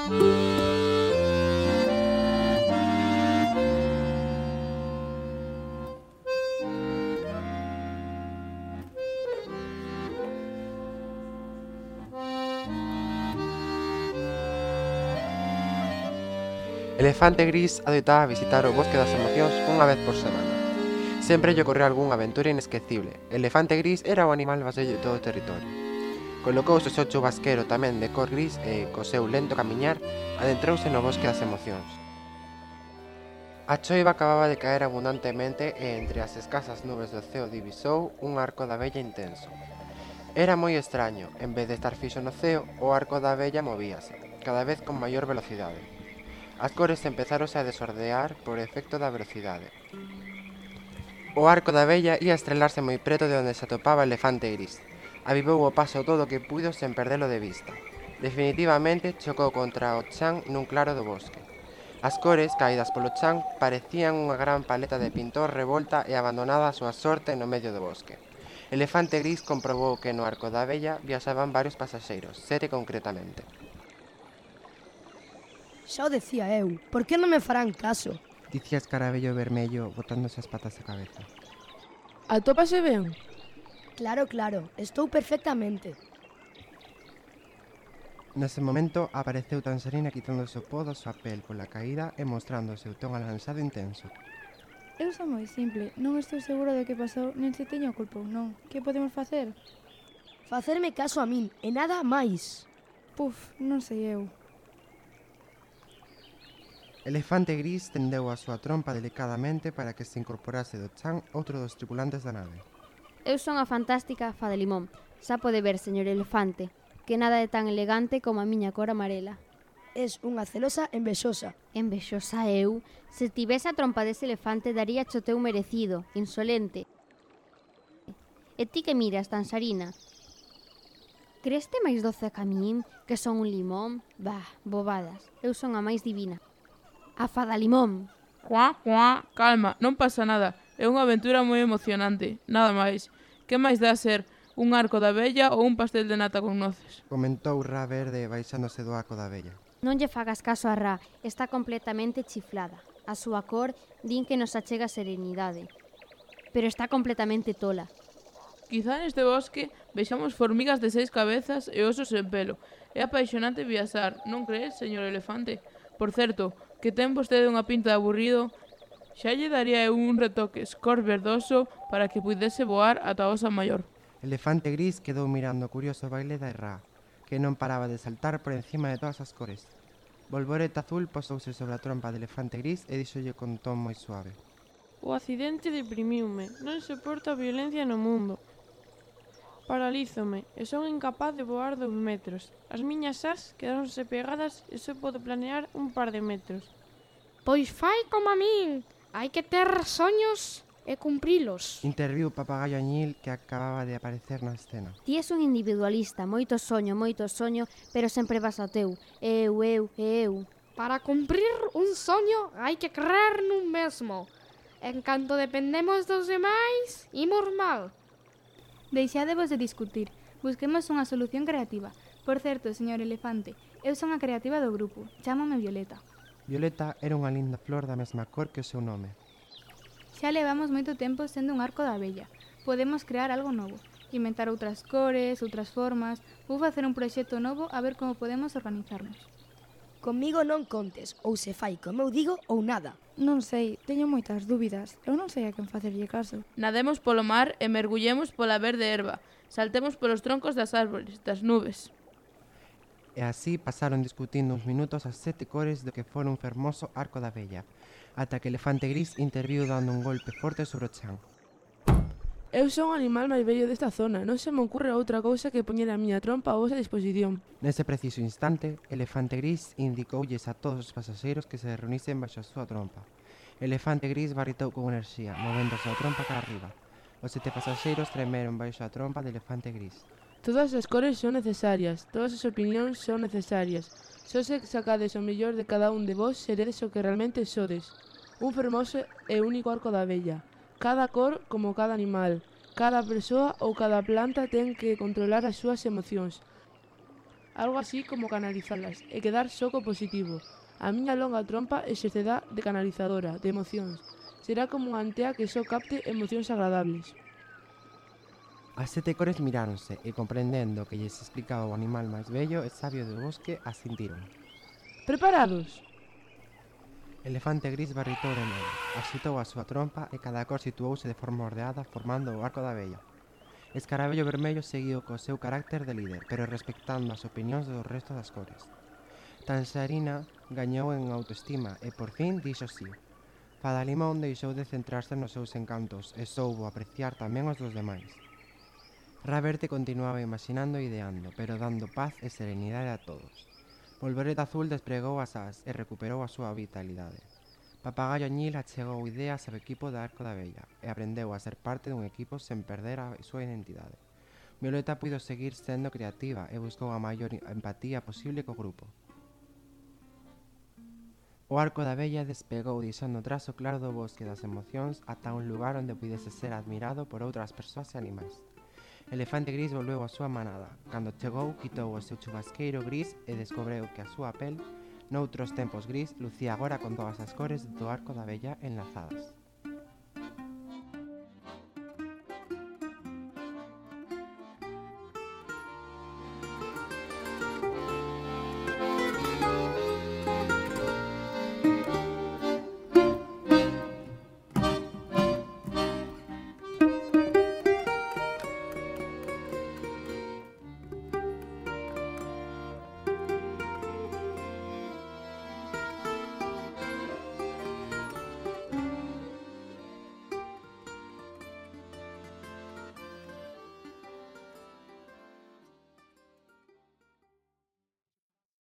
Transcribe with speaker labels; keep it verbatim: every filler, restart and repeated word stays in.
Speaker 1: Elefante Gris adoitaba visitar o Bosque das Emocións unha vez por semana. Sempre lle ocorreu algunha aventura inesquecible. Elefante Gris era o animal vasello de todo o territorio. Colocouse o seu chubasquero tamén de cor gris e, co seu lento camiñar, adentrouse no Bosque das Emocións. A choiva acababa de caer abundantemente e entre as escasas nubes do ceo divisou un arco da vella intenso. Era moi extraño, en vez de estar fixo no ceo, o arco da vella movíase, cada vez con maior velocidade. As cores empezáronse a desordear por efecto da velocidade. O arco da vella ia estrelarse moi preto de onde se atopaba o Elefante Gris. Avivou o paso todo o que puido sen perdelo de vista. Definitivamente chocou contra o chan nun claro do bosque. As cores, caídas polo chan, parecían unha gran paleta de pintor revolta e abandonada a súa sorte no medio do bosque. Elefante Gris comprobou que no arco da vella viaxaban varios pasaxeiros, sete concretamente.
Speaker 2: Xa o decía eu, por que non me farán caso?
Speaker 1: Dicía Escarabello Vermello botándose as patas a cabeza.
Speaker 3: Atópase ben?
Speaker 2: Claro, claro, estou perfectamente.
Speaker 1: Nese momento apareceu Tanxerina quitándose o pó da súa pel pola caída e mostrando o seu ton alansado intenso.
Speaker 4: Eu son moi simple, non estou seguro de que pasou nen se teño culpa ou non. Que podemos facer?
Speaker 2: Facerme caso a min e nada máis.
Speaker 4: Puf, non sei eu.
Speaker 1: Elefante Gris tendeu a súa trompa delicadamente para que se incorporase do chan outro dos tripulantes da nave.
Speaker 5: Eu son a fantástica Fada Limón. Xa pode ver, señor Elefante, que nada é tan elegante como a miña cor amarela.
Speaker 2: Es unha celosa envexosa.
Speaker 5: Envexosa eu? Se tivese a trompa dese elefante daría cho teu merecido, insolente. E ti que miras, Tanxarina? Creste máis doce que a min, que son un limón? Bah, bobadas, eu son a máis divina. A Fada Limón.
Speaker 3: Juá, juá, calma, non pasa nada. É unha aventura moi emocionante, nada máis. Que máis dá ser un arco da vella ou un pastel de nata con noces?
Speaker 1: Comentou Ra Verde baixándose do arco da vella.
Speaker 5: Non lle fagas caso a Ra, está completamente chiflada. A súa cor din que nos achega serenidade, pero está completamente tola.
Speaker 3: Quizá neste bosque vexamos formigas de seis cabezas e osos en pelo. É apaixonante viaxar, non crees, señor Elefante? Por certo, que ten vostede unha pinta de aburrido, xa lle daría eu un retoque escor verdoso para que pudese voar ata a Osa Maior.
Speaker 1: Elefante Gris quedou mirando o curioso baile da Ra, que non paraba de saltar por encima de todas as cores. Volvoreta Azul posouse sobre a trompa de Elefante Gris e díxolle con ton moi suave.
Speaker 6: O accidente deprimiume, non soporto a violencia no mundo. Paralízome e son incapaz de voar dos metros. As miñas ás quedáronse pegadas e só podo planear un par de metros.
Speaker 7: Pois fai como a min, hai que ter soños e cumprilos.
Speaker 1: Interviu o papagaio Añil que acababa de aparecer na escena.
Speaker 5: Ti és un individualista, moito soño, moito soño, pero sempre vas ao teu. Eu, eu, eu.
Speaker 7: Para cumprir un soño hai que creer nun mesmo. En canto dependemos dos demais, imos mal.
Speaker 4: Deixadevos de discutir. Busquemos unha solución creativa. Por certo, señor Elefante, eu son a creativa do grupo. Chámame Violeta.
Speaker 1: Violeta era unha linda flor da mesma cor que o seu nome.
Speaker 4: Xa levamos moito tempo sendo un arco da vella. Podemos crear algo novo. Inventar outras cores, outras formas. Vou facer un proxecto novo a ver como podemos organizarnos.
Speaker 2: Comigo non contes, ou se fai como eu digo ou nada.
Speaker 4: Non sei, teño moitas dúbidas. Eu non sei a quen facerlle caso.
Speaker 3: Nademos polo mar e mergullemos pola verde erva. Saltemos polos troncos das árbores, das nubes.
Speaker 1: E así pasaron discutindo uns minutos as sete cores do que fora un fermoso arco da vella, ata que Elefante Gris interviu dando un golpe forte sobre o chan.
Speaker 3: Eu son o animal máis bello desta zona. Non se me ocurre outra cousa que poñer a miña trompa a vosa disposición.
Speaker 1: Nese preciso instante, Elefante Gris indicoulles a todos os pasaxeiros que se reunisen baixo a súa trompa. Elefante Gris barritou con enerxía, movéndose a trompa cara arriba. Os sete pasaxeiros tremeron baixo a trompa de Elefante Gris.
Speaker 3: Todas as cores son necesarias, todas as opinións son necesarias. Só se sacades o mellor de cada un de vós, seredes o que realmente sodes. Un fermoso e único arco da vella. Cada cor como cada animal, cada persoa ou cada planta ten que controlar as súas emocións. algo así como canalizalas e quedar soco positivo. A miña longa trompa exercerá de canalizadora de emocións. Será como unha antea que só capte emocións agradables.
Speaker 1: As sete cores miráronse e comprendendo que lles explicaba o animal máis bello e sabio do bosque, asintiron.
Speaker 3: Preparados?
Speaker 1: Elefante Gris barritou de novo, axitou a súa trompa e cada cor situouse de forma ordeada formando o arco da vella. Escarabello vermello seguiu co seu carácter de líder, pero respectando as opinións do resto das cores. Tanxarina gañou en autoestima e por fin dixo sí. Fada Limón deixou de centrarse nos seus encantos e soubo apreciar tamén os dos demais. Raberte continuaba imaginando e ideando, pero dando paz e serenidade a todos. Polvoreta Azul despregou as ás e recuperou a súa vitalidade. Papagayo Añil achegou ideas ao equipo da Arco da Vella e aprendeu a ser parte dun equipo sen perder a súa identidade. Violeta puido seguir sendo creativa e buscou a maior empatía posible co grupo. O Arco da Vella despegou deixando tras o claro do bosque das emocións ata un lugar onde pudese ser admirado por outras persoas e animais. Elefante Gris volveu á súa manada. Cando chegou, quitou o seu chubasqueiro gris e descubreu que a súa pel, noutros tempos gris, lucía agora con todas as cores do Arco da Vella enlazadas.